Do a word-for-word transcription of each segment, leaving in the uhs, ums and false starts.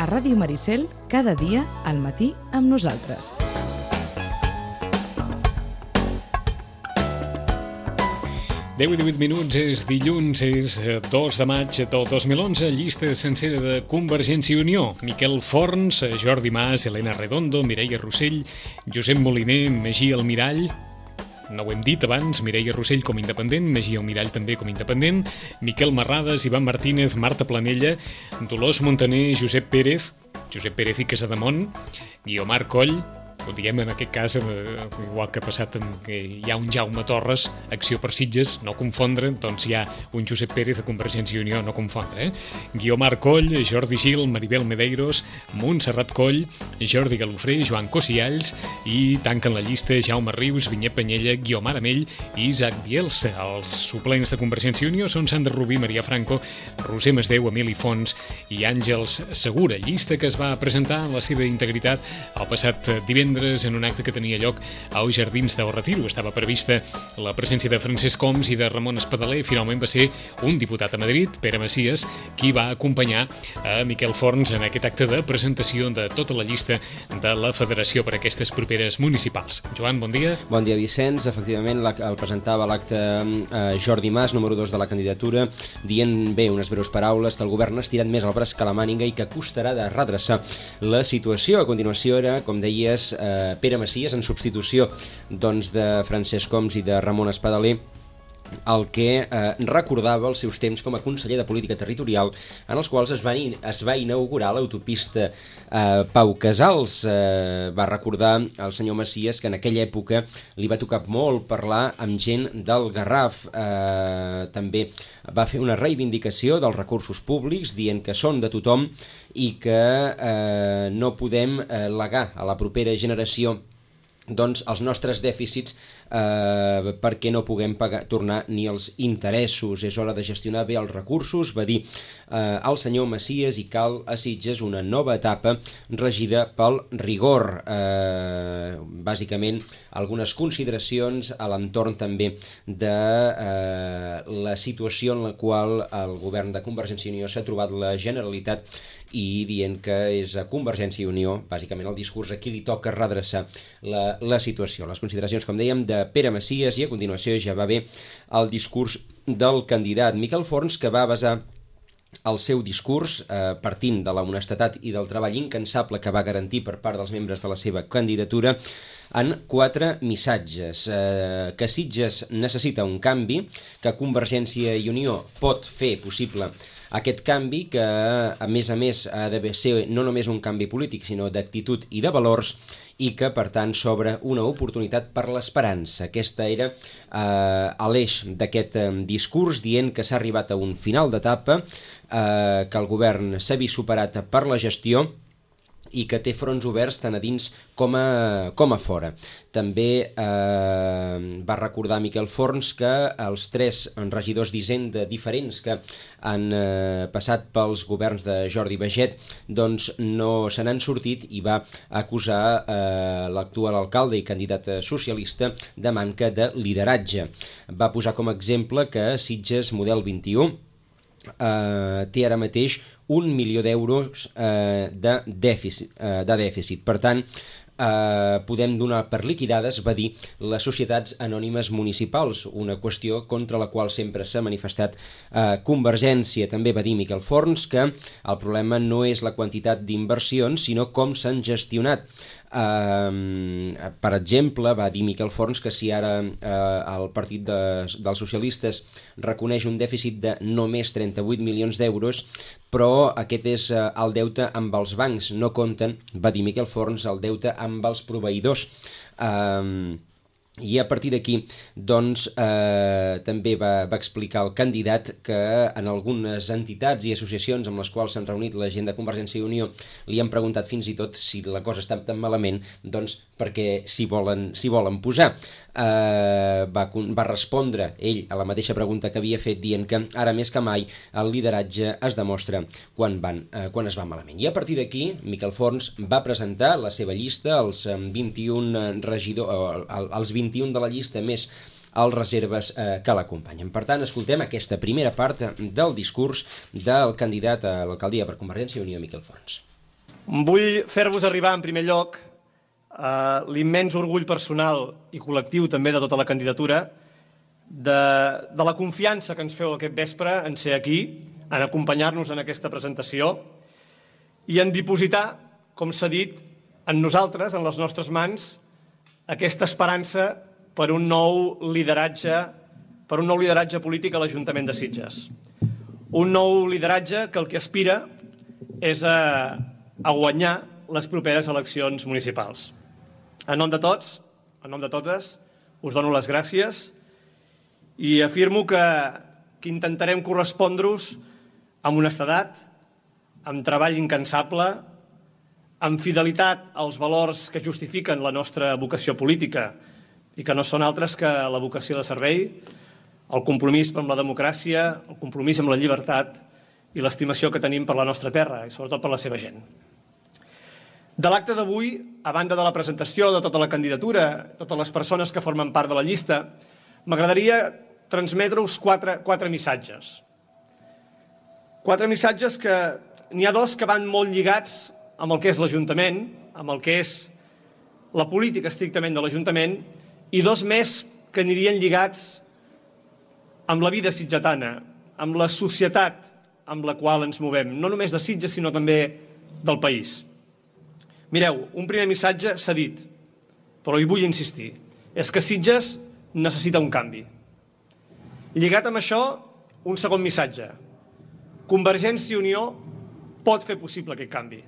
a Ràdio Maricel, cada dia al matí amb nosaltres. deu i divuit minuts, és dilluns, és dos de maig del dos mil onze, llista sencera de Convergència i Unió. Miquel Forns, Jordi Mas, Helena Redondo, Mireia Rossell, Josep Moliner, Magí Almirall, no ho hem dit abans, Mireia Rossell com independent, Magí Almirall també com independent, Miquel Marrades, Ivan Martínez, Marta Planella, Dolors Montaner, Josep Pérez, Josep Pérez i Casademont, Guiomar Coll, ho diguem en aquest cas, igual que ha passat amb que hi ha un Jaume Torres, Acció per Sitges, no confondre, doncs hi ha un Josep Pérez de Convergència i Unió, no confondre, eh? Guiomar Coll, Jordi Gil, Maribel Medeiros, Montserrat Coll, Jordi Galofré, Joan Cosialls i tanquen la llista Jaume Rius, Vinyet Penyella, Guiomar Amell i Isaac Bielsa. Els suplents de Convergència i Unió són Sandra Rubí, Maria Franco, Roser Masdeu, Emili Fons i Àngels Segura. Llista que es va presentar en la seva integritat el passat divendres en un acte que tenia lloc als Jardins del Retiro. Estava prevista la presència de Francesc Homs i de Ramon Espadaler. Finalment va ser un diputat a Madrid, Pere Macias, qui va acompanyar a Miquel Forns en aquest acte de presentació de tota la llista de la Federació per a aquestes properes municipals. Joan, bon dia. Bon dia, Vicenç. Efectivament, el presentava l'acte eh, Jordi Mas, número dos de la candidatura, dient bé unes breus paraules que el govern ha estirat més el braç que la màniga i que costarà de redreçar la situació. A continuació era, com deies, Pere Macias, en substitució doncs, de Francesc Homs i de Ramon Espadaler, el que eh, recordava els seus temps com a conseller de Política Territorial, en els quals es va, es va inaugurar l'autopista eh, Pau Casals. Eh, va recordar al senyor Macias que en aquella època li va tocar molt parlar amb gent del Garraf. Eh, també va fer una reivindicació dels recursos públics, dient que són de tothom i que eh, no podem eh, legar a la propera generació doncs els nostres dèficits eh, perquè no puguem pagar, tornar ni els interessos. És hora de gestionar bé els recursos, va dir eh, el senyor Macias, i cal a Sitges una nova etapa regida pel rigor. Eh, bàsicament, algunes consideracions a l'entorn també de eh, la situació en la qual el govern de Convergència i Unió s'ha trobat la Generalitat, i dient que és a Convergència i Unió, bàsicament el discurs a qui li toca redreçar la, la situació. Les consideracions, com dèiem, de Pere Macias, i a continuació ja va bé el discurs del candidat Miquel Forns, que va basar el seu discurs eh, partint de la honestedat i del treball incansable que va garantir per part dels membres de la seva candidatura en quatre missatges. Eh, que Sitges necessita un canvi, que Convergència i Unió pot fer possible aquest canvi, que a més a més ha de ser no només un canvi polític sinó d'actitud i de valors, i que per tant s'obre una oportunitat per l'esperança. Aquesta era eh, l'eix d'aquest eh, discurs, dient que s'ha arribat a un final d'etapa, eh, que el govern s'ha vist superat per la gestió i que té fronts oberts tant a dins com a, com a fora. També eh, va recordar Miquel Forns que els tres regidors d'Hisenda diferents que han eh, passat pels governs de Jordi Baget doncs no se n'han sortit, i va acusar eh, l'actual alcalde i candidat socialista de manca de lideratge. Va posar com a exemple que Sitges model vint-i-u eh, té ara mateix un milió d'euros eh, de, dèficit, eh, de dèficit. Per tant, eh, podem donar per liquidades, va dir, les societats anònimes municipals, una qüestió contra la qual sempre s'ha manifestat eh, Convergència. També va dir Miquel Forns que el problema no és la quantitat d'inversions, sinó com s'han gestionat. Uh, per exemple, va dir Miquel Forns que si ara uh, el partit de, dels socialistes reconeix un dèficit de només trenta-vuit milions d'euros, però aquest és uh, el deute amb els bancs, no compten, va dir Miquel Forns, el deute amb els proveïdors. Uh, I a partir d'aquí, doncs, eh, també va, va explicar el candidat que en algunes entitats i associacions amb les quals s'han reunit la gent de Convergència i Unió li han preguntat fins i tot si la cosa està tan malament, doncs perquè s'hi volen, s'hi volen posar. Eh, va, va respondre ell a la mateixa pregunta que havia fet, dient que ara més que mai el lideratge es demostra quan, van, eh, quan es va malament. I a partir d'aquí, Miquel Forns va presentar la seva llista, els vint-i-un regidors, els vint-i-un de la llista més els reserves eh, que l'acompanyen. Per tant, escoltem aquesta primera part del discurs del candidat a l'alcaldia per Convergència i Unió, Miquel Forns. Vull fer-vos arribar, en primer lloc, eh, l'immens orgull personal i col·lectiu també de tota la candidatura de, de la confiança que ens feu aquest vespre en ser aquí, en acompanyar-nos en aquesta presentació i en dipositar, com s'ha dit, en nosaltres, en les nostres mans, aquesta esperança per un nou lideratge, per un nou lideratge polític a l'Ajuntament de Sitges. Un nou lideratge que el que aspira és a, a guanyar les properes eleccions municipals. En nom de tots, en nom de totes, us dono les gràcies i afirmo que, que intentarem correspondre-us amb honestedat, amb treball incansable, amb fidelitat als valors que justifiquen la nostra vocació política i que no són altres que la vocació de servei, el compromís amb la democràcia, el compromís amb la llibertat i l'estimació que tenim per la nostra terra i sobretot per la seva gent. De l'acte d'avui, a banda de la presentació de tota la candidatura, totes les persones que formen part de la llista, m'agradaria transmetre-us quatre, quatre missatges. Quatre missatges que n'hi ha dos que van molt lligats amb el que és l'Ajuntament, amb el que és la política estrictament de l'Ajuntament, i dos més que anirien lligats amb la vida sitgetana, amb la societat amb la qual ens movem, no només de Sitges, sinó també del país. Mireu, un primer missatge s'ha dit, però hi vull insistir, és que Sitges necessita un canvi. Lligat amb això, un segon missatge. Convergència i Unió pot fer possible aquest canvi.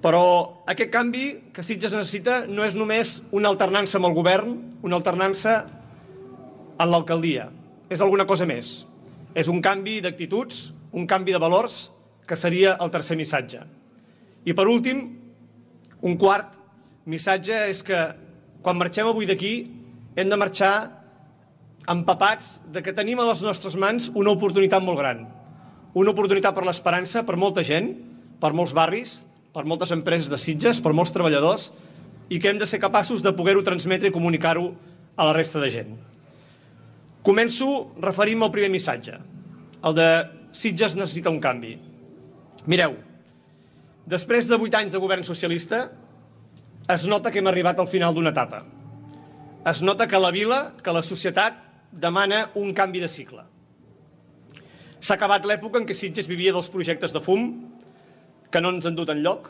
Però aquest canvi que Sitges necessita no és només una alternança amb el govern, una alternança en l'alcaldia. És alguna cosa més. És un canvi d'actituds, un canvi de valors, que seria el tercer missatge. I per últim, un quart missatge és que quan marxem avui d'aquí hem de marxar empapats de que tenim a les nostres mans una oportunitat molt gran. Una oportunitat per l'esperança, per molta gent, per molts barris, per moltes empreses de Sitges, per molts treballadors, i que hem de ser capaços de poder-ho transmetre i comunicar-ho a la resta de gent. Començo referint-me al primer missatge, el de Sitges necessita un canvi. Mireu, després de vuit anys de govern socialista, es nota que hem arribat al final d'una etapa. Es nota que la vila, que la societat, demana un canvi de cicle. S'ha acabat l'època en què Sitges vivia dels projectes de fum, que no ens han dut enlloc,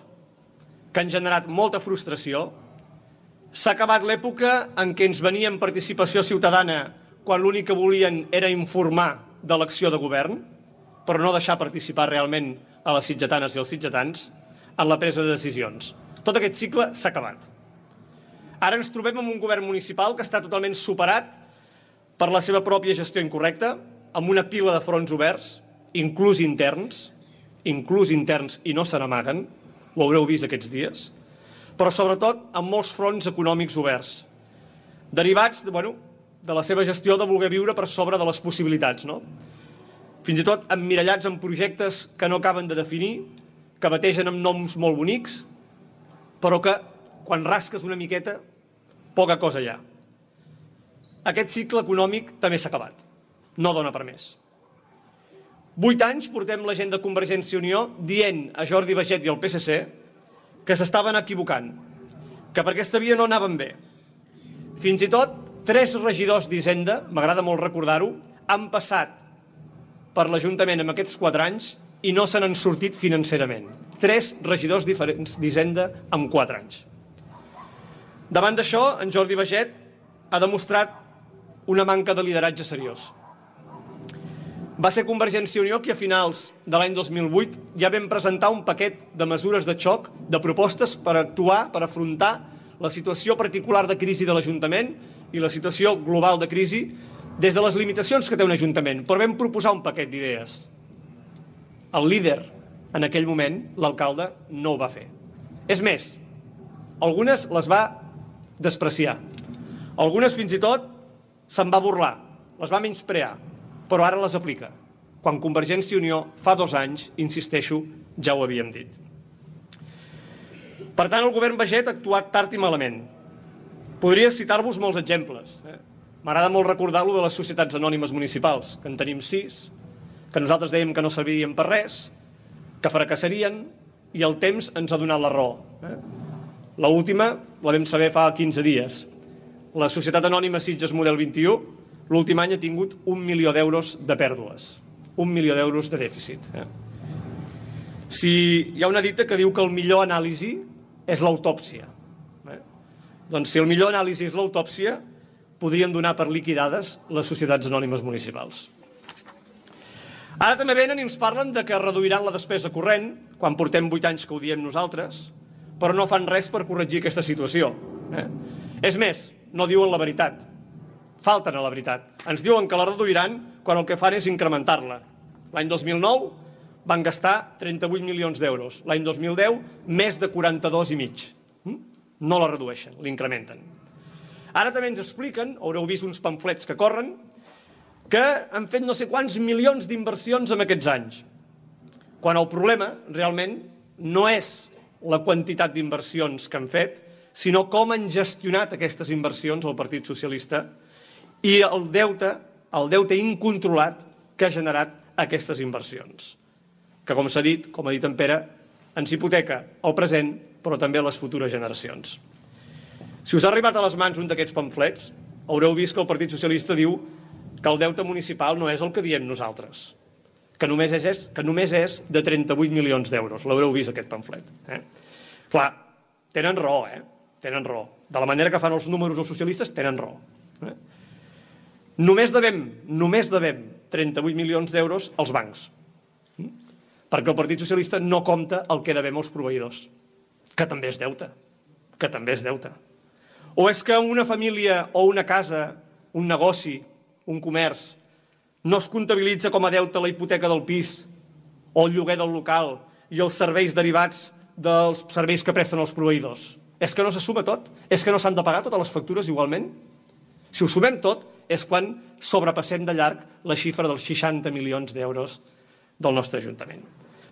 que han generat molta frustració. S'ha acabat l'època en què ens venien participació ciutadana quan l'únic que volien era informar de l'acció de govern, però no deixar participar realment a les sitgetanes i els sitgetans en la presa de decisions. Tot aquest cicle s'ha acabat. Ara ens trobem amb un govern municipal que està totalment superat per la seva pròpia gestió incorrecta, amb una pila de fronts oberts, inclús interns, inclús interns i no se n'amaguen, ho haureu vist aquests dies, però sobretot amb molts fronts econòmics oberts, derivats de, bueno, de la seva gestió de voler viure per sobre de les possibilitats, no? Fins i tot emmirallats en projectes que no acaben de definir, que bategen amb noms molt bonics, però que, quan rasques una miqueta, poca cosa hi ha. Aquest cicle econòmic també s'ha acabat. No dona per més. Vuit anys portem la gent de Convergència i Unió dient a Jordi Baiget i al P S C que s'estaven equivocant, que per aquesta via no anaven bé. Fins i tot, tres regidors d'Hisenda, m'agrada molt recordar-ho, han passat per l'Ajuntament en aquests quatre anys i no se n'han sortit financerament. Tres regidors diferents d'Hisenda en quatre anys. Davant d'això, en Jordi Baiget ha demostrat una manca de lideratge seriós. Va ser Convergència i Unió qui a finals de l'any dos mil vuit ja vam presentar un paquet de mesures de xoc, de propostes per actuar, per afrontar la situació particular de crisi de l'Ajuntament i la situació global de crisi des de les limitacions que té un Ajuntament, però vam proposar un paquet d'idees. El líder, en aquell moment, l'alcalde, no ho va fer. És més, algunes les va despreciar. Algunes, fins i tot, se'n va burlar, les va menysprear, però ara les aplica, quan Convergència i Unió fa dos anys, insisteixo, ja ho havíem dit. Per tant, el govern Baiget ha actuat tard i malament. Podria citar-vos molts exemples. Eh? M'agrada molt recordar-lo de les societats anònimes municipals, que en tenim sis, que nosaltres dèiem que no servien per res, que fracassarien, i el temps ens ha donat la raó. Eh? L'última la vam saber fa quinze dies. La Societat Anònima Sitges Model vint-i-u l'últim any ha tingut un milió d'euros de pèrdues, un milió d'euros de dèficit. Eh? Si hi ha una dita que diu que el millor anàlisi és l'autòpsia. Eh? Doncs si el millor anàlisi és l'autòpsia, podríem donar per liquidades les societats anònimes municipals. Ara també venen i ens parlen de que reduiran la despesa corrent, quan portem vuit anys que ho diem nosaltres, però no fan res per corregir aquesta situació. Eh? És més, no diuen la veritat. Falten a la veritat. Ens diuen que la reduiran quan el que fan és incrementar-la. L'any dos mil nou van gastar trenta-vuit milions d'euros. L'any dos mil deu, més de quaranta-dos i mig. No la redueixen, l'incrementen. Ara també ens expliquen, haureu vist uns pamflets que corren, que han fet no sé quants milions d'inversions en aquests anys. Quan el problema, realment, no és la quantitat d'inversions que han fet, sinó com han gestionat aquestes inversions el Partit Socialista i el deute, el deute incontrolat que ha generat aquestes inversions. Que, com s'ha dit, com ha dit en Pere, ens hipoteca el present, però també les futures generacions. Si us ha arribat a les mans un d'aquests pamflets, haureu vist que el Partit Socialista diu que el deute municipal no és el que diem nosaltres, que només és, que només és de trenta-vuit milions d'euros. L'haureu vist, aquest pamflet. Eh? Clar, tenen raó, eh? Tenen raó. De la manera que fan els números els socialistes, tenen raó. Eh? Només devem, només devem trenta-vuit milions d'euros als bancs, eh? Perquè el Partit Socialista no compta el que devem als proveïdors, que també és deute, que també és deute. O és que una família o una casa, un negoci, un comerç, no es comptabilitza com a deute la hipoteca del pis o el lloguer del local i els serveis derivats dels serveis que presten els proveïdors. És que no se suma tot? És que no s'han de pagar totes les factures igualment? Si ho sumem tot, és quan sobrepassem de llarg la xifra dels seixanta milions d'euros del nostre Ajuntament.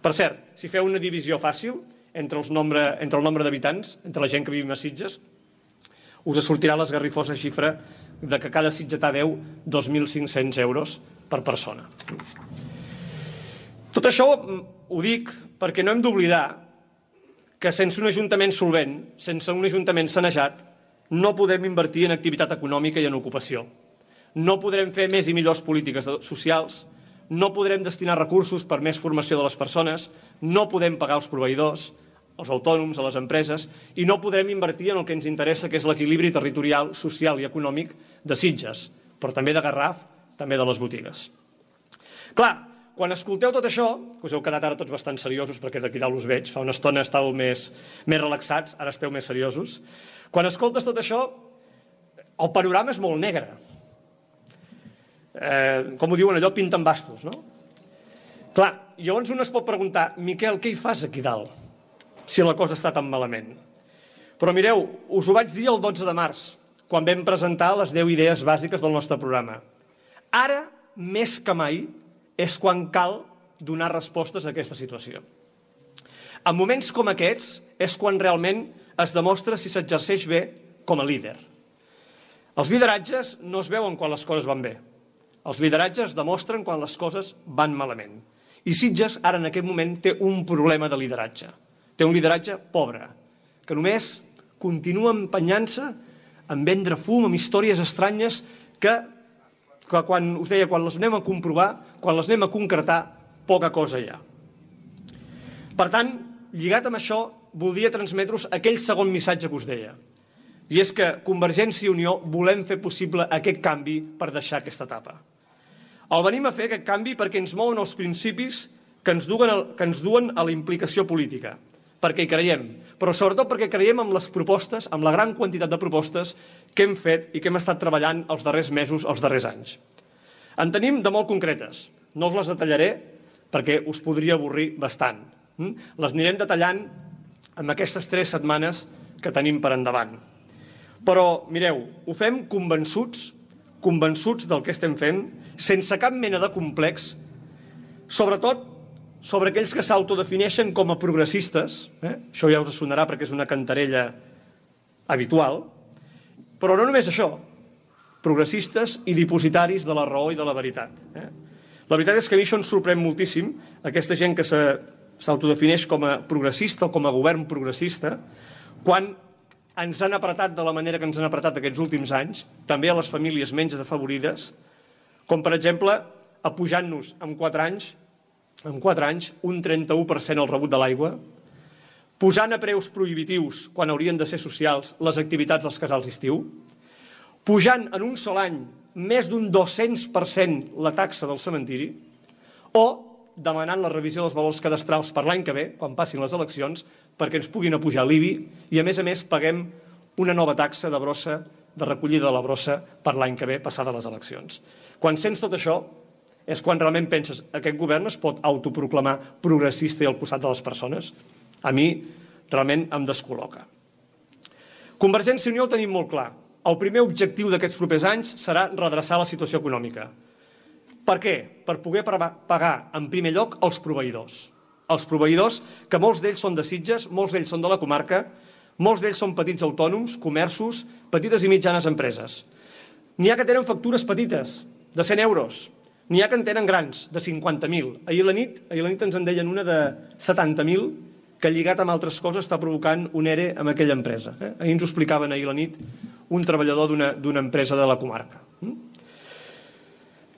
Per cert, si feu una divisió fàcil entre, els nombre, entre el nombre d'habitants, entre la gent que vivim a Sitges, us sortirà l'esgarrifosa xifra de que cada sitgetà deu dos mil cinc-cents euros per persona. Tot això ho dic perquè no hem d'oblidar que sense un ajuntament solvent, sense un ajuntament sanejat, no podem invertir en activitat econòmica i en ocupació. No podrem fer més i millors polítiques socials, no podrem destinar recursos per més formació de les persones, no podem pagar els proveïdors, els autònoms, a les empreses, i no podrem invertir en el que ens interessa, que és l'equilibri territorial, social i econòmic de Sitges, però també de Garraf, també de les botigues. Clar, quan escolteu tot això, que us heu quedat ara tots bastant seriosos, perquè d'aquí dalt us veig, fa una estona estàveu més, més relaxats, ara esteu més seriosos, quan escoltes tot això, el panorama és molt negre. Eh, com ho diuen allò, pinten bastos, no? Clar, llavors un es pot preguntar, Miquel, què hi fas aquí dalt, si la cosa està tan malament? Però mireu, us ho vaig dir el dotze de març, quan vam presentar les deu idees bàsiques del nostre programa. Ara, més que mai, és quan cal donar respostes a aquesta situació. En moments com aquests és quan realment es demostra si s'exerceix bé com a líder. Els lideratges no es veuen quan les coses van bé. Els lideratges demostren quan les coses van malament. I Sitges, ara en aquest moment, té un problema de lideratge. Té un lideratge pobre, que només continua empenyant-se en vendre fum, amb històries estranyes que, que quan, us deia, quan les anem a comprovar, quan les anem a concretar, poca cosa hi ha. Per tant, lligat amb això, voldria transmetre-us aquell segon missatge que us deia. I és que Convergència i Unió volem fer possible aquest canvi per deixar aquesta etapa. El venim a fer aquest canvi perquè ens mouen els principis que ens duen, que ens duen a la implicació política, perquè hi creiem, però sobretot perquè creiem en les propostes, en la gran quantitat de propostes que hem fet i que hem estat treballant els darrers mesos, els darrers anys. En tenim de molt concretes, no us les detallaré perquè us podria avorrir bastant. Les anirem detallant en aquestes tres setmanes que tenim per endavant. Però, mireu, ho fem convençuts, convençuts del que estem fent, sense cap mena de complex, sobretot sobre aquells que s'autodefineixen com a progressistes, eh? Això ja us sonarà perquè és una cantarella habitual, però no només això, progressistes i dipositaris de la raó i de la veritat. Eh? La veritat és que a mi això ens sorprèn moltíssim, aquesta gent que s'autodefineix com a progressista o com a govern progressista, quan ens han apretat de la manera que ens han apretat aquests últims anys, també a les famílies menys afavorides, com per exemple apujant-nos en quatre anys, en quatre anys un trenta-u per cent el rebut de l'aigua, posant a preus prohibitius, quan haurien de ser socials, les activitats dels casals d'estiu, pujant en un sol any més d'un dos-cents per cent la taxa del cementiri, o demanant la revisió dels valors cadastrals per l'any que ve, quan passin les eleccions, perquè ens puguin apujar l'I B I i, a més a més, paguem una nova taxa de brossa, de recollida de la brossa per l'any que ve, passades les eleccions. Quan sents tot això, és quan realment penses aquest govern es pot autoproclamar progressista i al costat de les persones? A mi realment em descol·loca. Convergència i Unió ho tenim molt clar. El primer objectiu d'aquests propers anys serà redreçar la situació econòmica. Per què? Per poder pagar en primer lloc els proveïdors. Els proveïdors, que molts d'ells són de Sitges, molts d'ells són de la comarca, molts d'ells són petits autònoms, comerços, petites i mitjanes empreses. N'hi ha que tenen factures petites, de cent euros. N'hi ha que en tenen grans, de cinquanta mil. Ahir a la nit, ahir a la nit ens en deien una de setanta mil, que lligat amb altres coses està provocant un E R E amb aquella empresa. Eh? Ahir ens ho explicaven ahir a la nit un treballador d'una empresa de la comarca.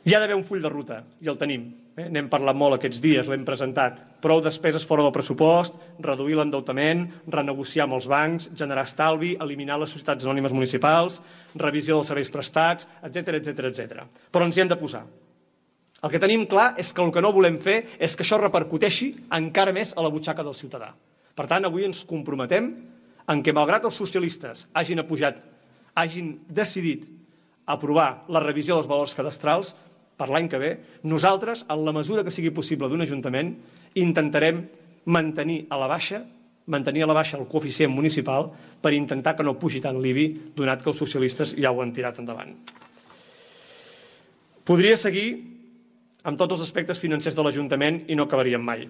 Hi ha d'haver un full de ruta, i el tenim. Eh? N'hem parlat molt aquests dies, l'hem presentat. Prou despeses fora del pressupost, reduir l'endeutament, renegociar amb els bancs, generar estalvi, eliminar les societats anònimes municipals, revisió dels serveis prestats, etcètera, etcètera, etcètera. Però ens hi hem de posar. El que tenim clar és que el que no volem fer és que això repercuteixi encara més a la butxaca del ciutadà. Per tant, avui ens comprometem en que, malgrat els socialistes hagin apujat, hagin decidit aprovar la revisió dels valors cadastrals per l'any que ve, nosaltres, en la mesura que sigui possible d'un ajuntament, intentarem mantenir a la baixa mantenir a la baixa el coeficient municipal per intentar que no pugi tant l'I B I, donat que els socialistes ja ho han tirat endavant. Podria seguir amb tots els aspectes financers de l'Ajuntament i no acabaríem mai.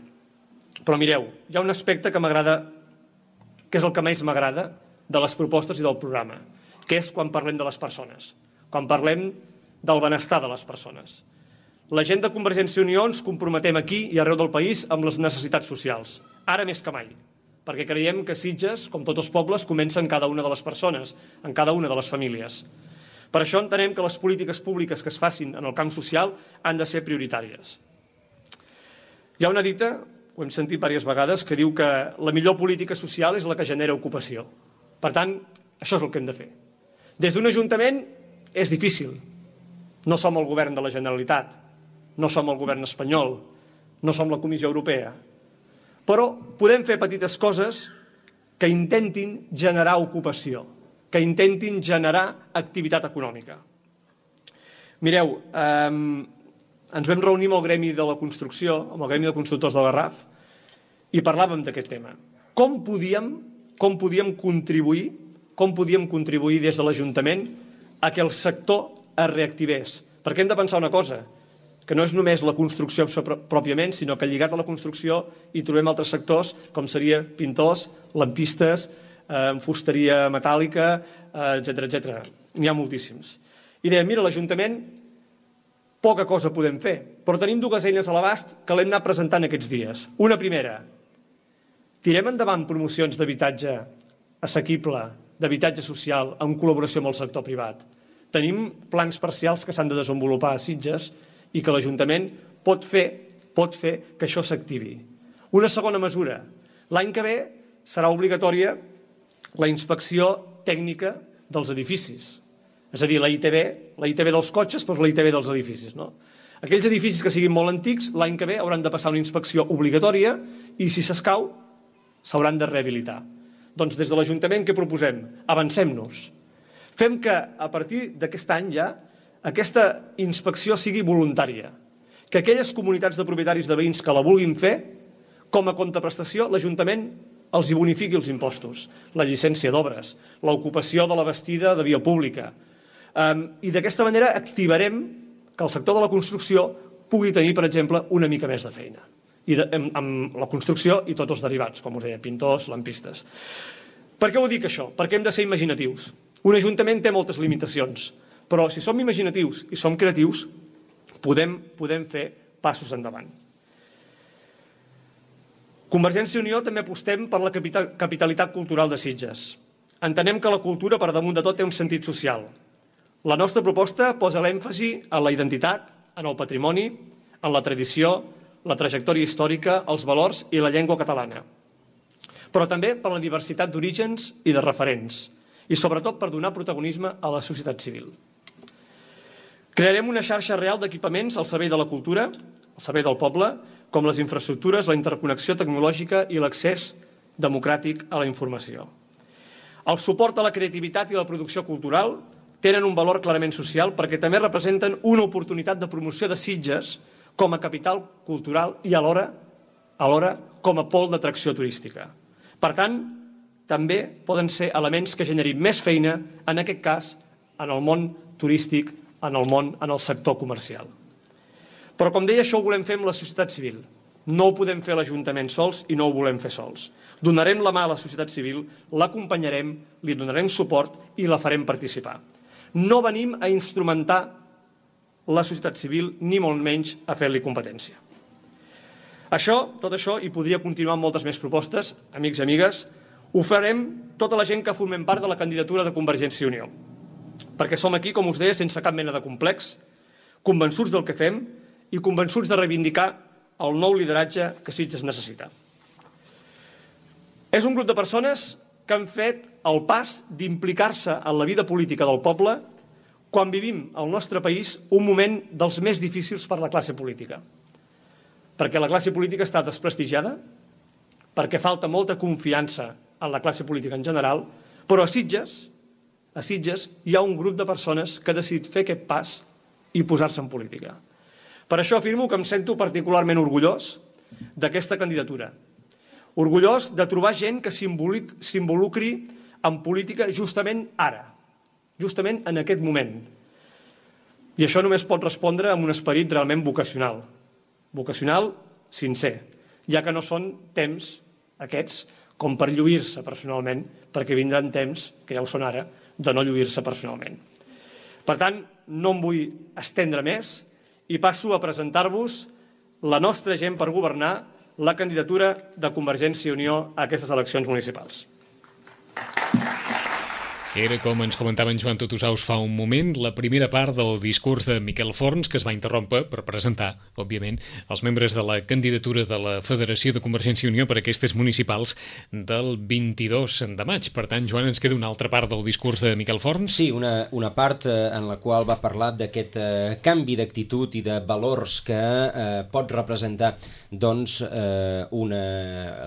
Però mireu, hi ha un aspecte que m'agrada, que és el que més m'agrada de les propostes i del programa, que és quan parlem de les persones, quan parlem del benestar de les persones. La gent de Convergència i Unió ens comprometem aquí i arreu del país amb les necessitats socials, ara més que mai, perquè creiem que Sitges, com tots els pobles, comença en cada una de les persones, en cada una de les famílies. Per això entenem que les polítiques públiques que es facin en el camp social han de ser prioritàries. Hi ha una dita, ho hem sentit diverses vegades, que diu que la millor política social és la que genera ocupació. Per tant, això és el que hem de fer. Des d'un ajuntament és difícil. No som el govern de la Generalitat, no som el govern espanyol, no som la Comissió Europea. Però podem fer petites coses que intentin generar ocupació, que intentin generar activitat econòmica. Mireu, eh, ens vam reunir amb el gremi de la construcció, amb el gremi de constructors de Garraf, i parlàvem d'aquest tema. Com podíem, com podíem contribuir, com podíem contribuir des de l'Ajuntament a que el sector es reactivés? Perquè hem de pensar una cosa, que no és només la construcció pròpiament, sinó que lligat a la construcció hi trobem altres sectors, com seria pintors, lampistes, eh, fusteria metàl·lica, eh, etcètera, etcètera. N'hi ha moltíssims. I dèiem, mira, l'Ajuntament poca cosa podem fer, però tenim dues eines a l'abast que l'hem anat presentant aquests dies. Una primera, tirem endavant promocions d'habitatge assequible, d'habitatge social, en col·laboració amb el sector privat. Tenim plans parcials que s'han de desenvolupar a Sitges i que l'Ajuntament pot fer, pot fer que això s'activi. Una segona mesura. L'any que ve serà obligatòria la inspecció tècnica dels edificis. És a dir, la I T B, la I T B dels cotxes, però la I T B dels edificis. No? Aquells edificis que siguin molt antics, l'any que ve hauran de passar una inspecció obligatòria i, si s'escau, s'hauran de rehabilitar. Doncs des de l'Ajuntament què proposem? Avancem-nos. Fem que, a partir d'aquest any ja, aquesta inspecció sigui voluntària. Que aquelles comunitats de propietaris de veïns que la vulguin fer, com a contraprestació, l'Ajuntament els hi bonifiqui els impostos, la llicència d'obres, l'ocupació de la bastida de via pública. I d'aquesta manera activarem que el sector de la construcció pugui tenir, per exemple, una mica més de feina. I de, amb, amb la construcció i tots els derivats, com us deia, pintors, lampistes. Per què ho dic això? Perquè hem de ser imaginatius. Un ajuntament té moltes limitacions, però si som imaginatius i som creatius, podem, podem fer passos endavant. Convergència i Unió també apostem per la capitalitat cultural de Sitges. Entenem que la cultura, per damunt de tot, té un sentit social. La nostra proposta posa l'èmfasi en la identitat, en el patrimoni, en la tradició, la trajectòria històrica, els valors i la llengua catalana. Però també per la diversitat d'orígens i de referents, i sobretot per donar protagonisme a la societat civil. Crearem una xarxa real d'equipaments al servei de la cultura, al servei del poble, com les infraestructures, la interconnexió tecnològica i l'accés democràtic a la informació. El suport a la creativitat i la producció cultural tenen un valor clarament social perquè també representen una oportunitat de promoció de Sitges com a capital cultural i alhora, alhora com a pol d'atracció turística. Per tant, també poden ser elements que generin més feina, en aquest cas, en el món turístic, en el món, en el sector comercial. Però, com deia, això ho volem fer amb la societat civil. No ho podem fer a l'Ajuntament sols i no ho volem fer sols. Donarem la mà a la societat civil, l'acompanyarem, li donarem suport i la farem participar. No venim a instrumentar la societat civil, ni molt menys a fer-li competència. Això, tot això, i podria continuar amb moltes més propostes, amics i amigues, ho farem tota la gent que formem part de la candidatura de Convergència i Unió. Perquè som aquí, com us deia, sense cap mena de complex, convençuts del que fem i convençuts de reivindicar el nou lideratge que Sitges necessita. És un grup de persones que han fet el pas d'implicar-se en la vida política del poble quan vivim al nostre país un moment dels més difícils per la classe política. Perquè la classe política està desprestigiada, perquè falta molta confiança en la classe política en general, però a Sitges, a Sitges hi ha un grup de persones que ha decidit fer aquest pas i posar-se en política. Per això afirmo que em sento particularment orgullós d'aquesta candidatura. Orgullós de trobar gent que s'involucri en política justament ara, justament en aquest moment. I això només pot respondre amb un esperit realment vocacional. Vocacional sincer, ja que no són temps aquests com per lluir-se personalment, perquè vindran temps, que ja ho són ara, de no lluir-se personalment. Per tant, no em vull estendre més i passo a presentar-vos la nostra gent per governar, la candidatura de Convergència i Unió a aquestes eleccions municipals. Era, com ens comentava en Joan Tutusaus fa un moment, la primera part del discurs de Miquel Forns, que es va interrompre per presentar, òbviament, els membres de la candidatura de la Federació de Convergència i Unió per a aquestes municipals del vint-i-dos de maig. Per tant, Joan, ens queda una altra part del discurs de Miquel Forns? Sí, una, una part eh, en la qual va parlar d'aquest eh, canvi d'actitud i de valors que eh, pot representar doncs, eh, una,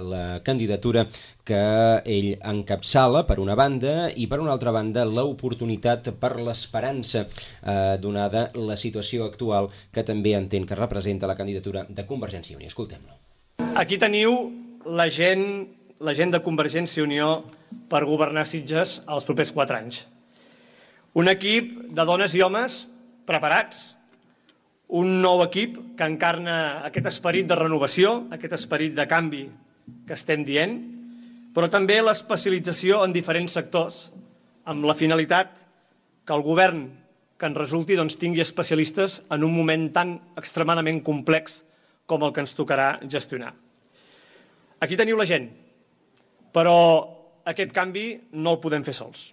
la candidatura que ell encapçala per una banda i per una altra banda l'oportunitat per l'esperança eh, donada la situació actual que també entén que representa la candidatura de Convergència i Unió. Escoltem-lo. Aquí teniu la gent, la gent de Convergència i Unió per governar Sitges els propers quatre anys. Un equip de dones i homes preparats, un nou equip que encarna aquest esperit de renovació, aquest esperit de canvi que estem dient, però també l'especialització en diferents sectors, amb la finalitat que el govern que en resulti doncs, tingui especialistes en un moment tan extremadament complex com el que ens tocarà gestionar. Aquí teniu la gent, però aquest canvi no el podem fer sols.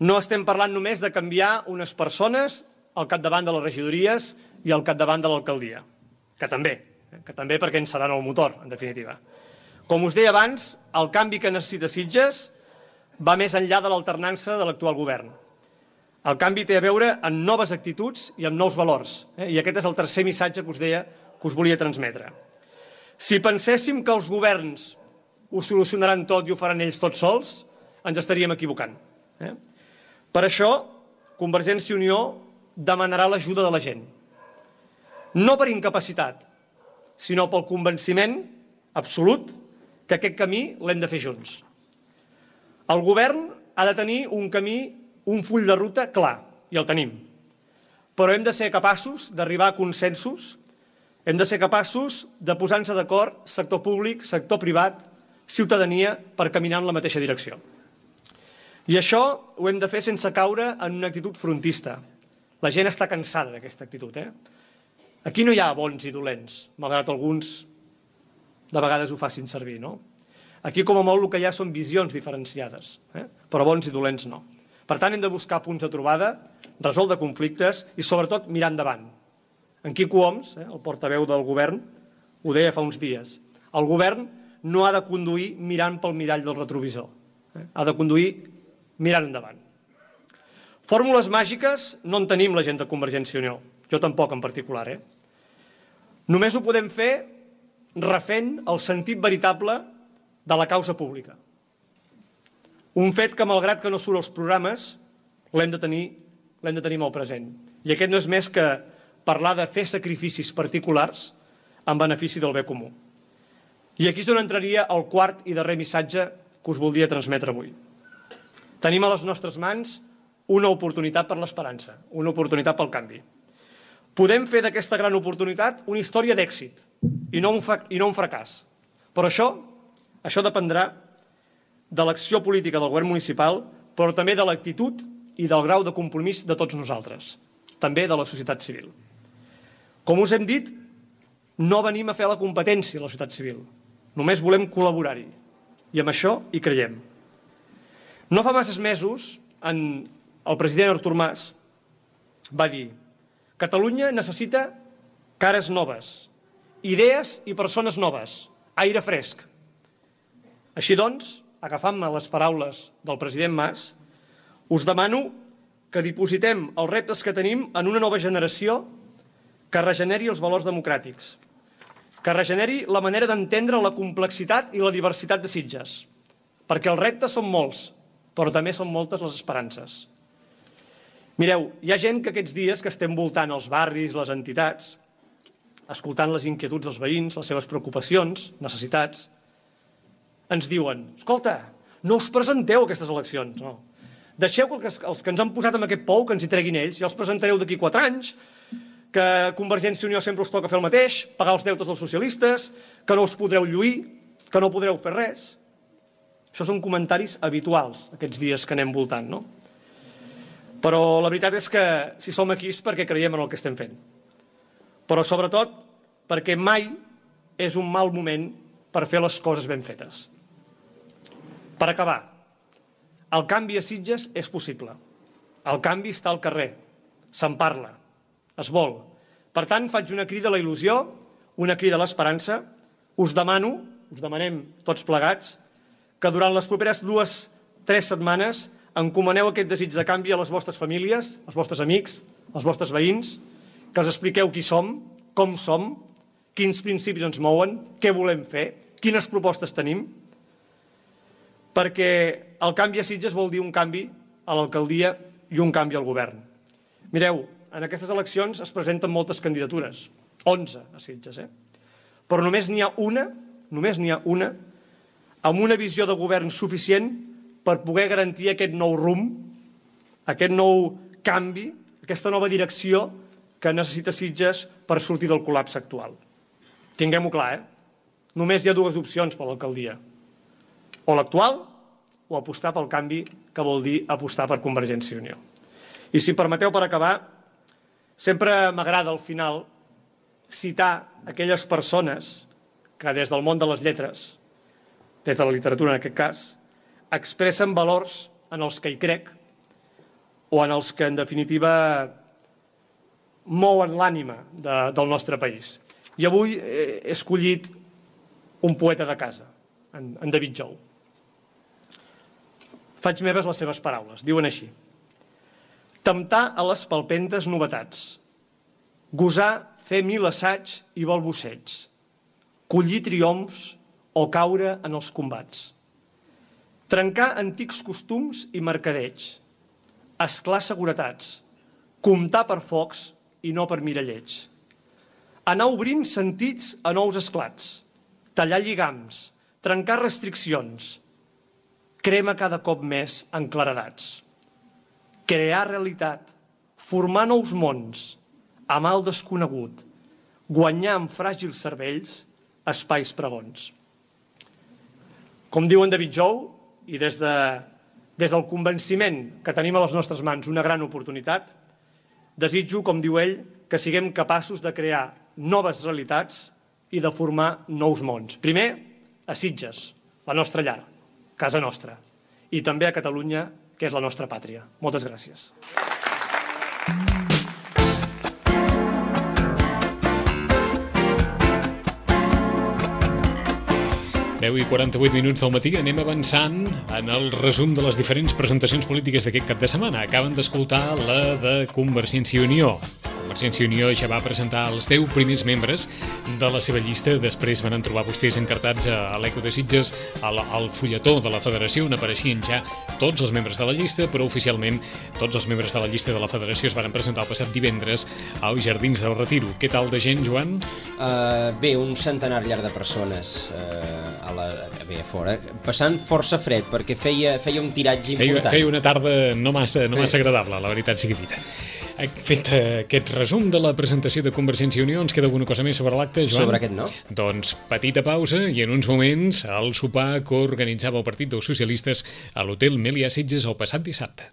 No estem parlant només de canviar unes persones al capdavant de les regidories i al capdavant de l'alcaldia, que també, que també perquè en seran el motor, en definitiva. Com us deia abans, el canvi que necessita Sitges va més enllà de l'alternança de l'actual govern. El canvi té a veure amb noves actituds i amb nous valors. Eh? I aquest és el tercer missatge que us deia que us volia transmetre. Si penséssim que els governs ho solucionaran tot i ho faran ells tots sols, ens estaríem equivocant. Eh? Per això, Convergència i Unió demanarà l'ajuda de la gent. No per incapacitat, sinó pel convenciment absolut que aquest camí l'hem de fer junts. El govern ha de tenir un camí, un full de ruta clar, i el tenim. Però hem de ser capaços d'arribar a consensos, hem de ser capaços de posar-nos d'acord sector públic, sector privat, ciutadania, per caminar en la mateixa direcció. I això ho hem de fer sense caure en una actitud frontista. La gent està cansada d'aquesta actitud. Eh? Aquí no hi ha bons i dolents, malgrat alguns de vegades ho facin servir, no? Aquí, com a molt, el que hi ha són visions diferenciades, eh? Però bons i dolents no. Per tant, hem de buscar punts de trobada, resoldre conflictes i, sobretot, mirar endavant. En Quico Homs, eh, el portaveu del govern, ho deia fa uns dies. El govern no ha de conduir mirant pel mirall del retrovisor. Eh? Ha de conduir mirant endavant. Fórmules màgiques no en tenim la gent de Convergència i Unió. Jo tampoc, en particular. Eh? Només ho podem fer refent el sentit veritable de la causa pública. Un fet que, malgrat que no surt als programes, l'hem de tenir, l'hem de tenir molt present. I aquest no és més que parlar de fer sacrificis particulars en benefici del bé comú. I aquí és on entraria el quart i darrer missatge que us voldria transmetre avui. Tenim a les nostres mans una oportunitat per l'esperança, una oportunitat pel canvi. Podem fer d'aquesta gran oportunitat una història d'èxit i no un, i no un fracàs. Però això, això dependrà de l'acció política del govern municipal, però també de l'actitud i del grau de compromís de tots nosaltres, també de la societat civil. Com us hem dit, no venim a fer la competència a la societat civil, només volem col·laborar-hi, i amb això hi creiem. No fa masses mesos, en el president Artur Mas va dir: Catalunya necessita cares noves, idees i persones noves, aire fresc. Així doncs, agafant-me les paraules del president Mas, us demano que dipositem els reptes que tenim en una nova generació que regeneri els valors democràtics, que regeneri la manera d'entendre la complexitat i la diversitat de Sitges, perquè els reptes són molts, però també són moltes les esperances. Mireu, hi ha gent que aquests dies que estem voltant els barris, les entitats, escoltant les inquietuds dels veïns, les seves preocupacions, necessitats, ens diuen: escolta, no us presenteu a aquestes eleccions, no. Deixeu que els que ens han posat en aquest pou, que ens hi treguin ells, ja els presentareu d'aquí quatre anys, que Convergència i Unió sempre us toca fer el mateix, pagar els deutes dels socialistes, que no us podreu lluir, que no podreu fer res. Això són comentaris habituals aquests dies que anem voltant, no? Però la veritat és que si som aquí és perquè creiem en el que estem fent. Però sobretot perquè mai és un mal moment per fer les coses ben fetes. Per acabar, el canvi a Sitges és possible. El canvi està al carrer, se'n parla, es vol. Per tant, faig una crida a la il·lusió, una crida a l'esperança. Us demano, us demanem tots plegats, que durant les properes dues, tres setmanes encomaneu aquest desig de canvi a les vostres famílies, als vostres amics, als vostres veïns, que els expliqueu qui som, com som, quins principis ens mouen, què volem fer, quines propostes tenim, perquè el canvi a Sitges vol dir un canvi a l'alcaldia i un canvi al govern. Mireu, en aquestes eleccions es presenten moltes candidatures, onze a Sitges, eh? Però només n'hi ha una, només n'hi ha una, amb una visió de govern suficient per poder garantir aquest nou rumb, aquest nou canvi, aquesta nova direcció que necessita Sitges per sortir del col·lapse actual. Tinguem-ho clar, eh? Només hi ha dues opcions per l'alcaldia. O l'actual o apostar pel canvi, que vol dir apostar per Convergència i Unió. I si em permeteu, per acabar, sempre m'agrada al final citar aquelles persones que des del món de les lletres, des de la literatura en aquest cas, expressen valors en els que hi crec o en els que, en definitiva, mouen l'ànima de, del nostre país. I avui he escollit un poeta de casa, en, en David Jou. Faig meves les seves paraules, diuen així: temptar a les palpentes novetats, gosar fer mil assaigs i balbuceig, collir triomfs o caure en els combats, trencar antics costums i mercadeig, esclar seguretats, comptar per focs i no per miralleig, anar obrint sentits a nous esclats, tallar lligams, trencar restriccions, crema cada cop més en claredats, crear realitat, formar nous mons, amar el desconegut, guanyar amb fràgils cervells espais pregons. Com diu en David Jou, i des, de, des del convenciment que tenim a les nostres mans una gran oportunitat, desitjo, com diu ell, que siguem capaços de crear noves realitats i de formar nous mons. Primer, a Sitges, la nostra llar, casa nostra, i també a Catalunya, que és la nostra pàtria. Moltes gràcies. deu i quaranta-vuit minuts del matí, anem avançant en el resum de les diferents presentacions polítiques d'aquest cap de setmana. Acaben d'escoltar la de Convergència i Unió. Convergència i Unió ja va presentar els deu primers membres de la seva llista. Després van trobar vostès encartats a l'Eco de Sitges, al, al fulletó de la federació, on apareixien ja tots els membres de la llista, però oficialment tots els membres de la llista de la federació es van presentar el passat divendres als Jardins del Retiro. Què tal de gent, Joan? Uh, bé, un centenar llarg de persones uh, a la, bé, a fora, passant força fred, perquè feia, feia un tiratge important. Feia, feia una tarda no massa, no massa agradable, la veritat sigui dita. Fet aquest resum de la presentació de Convergència i Unió, ens queda alguna cosa més sobre l'acte, Joan? Sobre aquest no. Doncs petita pausa i en uns moments el sopar que organitzava el Partit dels Socialistes a l'Hotel Melià Sitges el passat dissabte.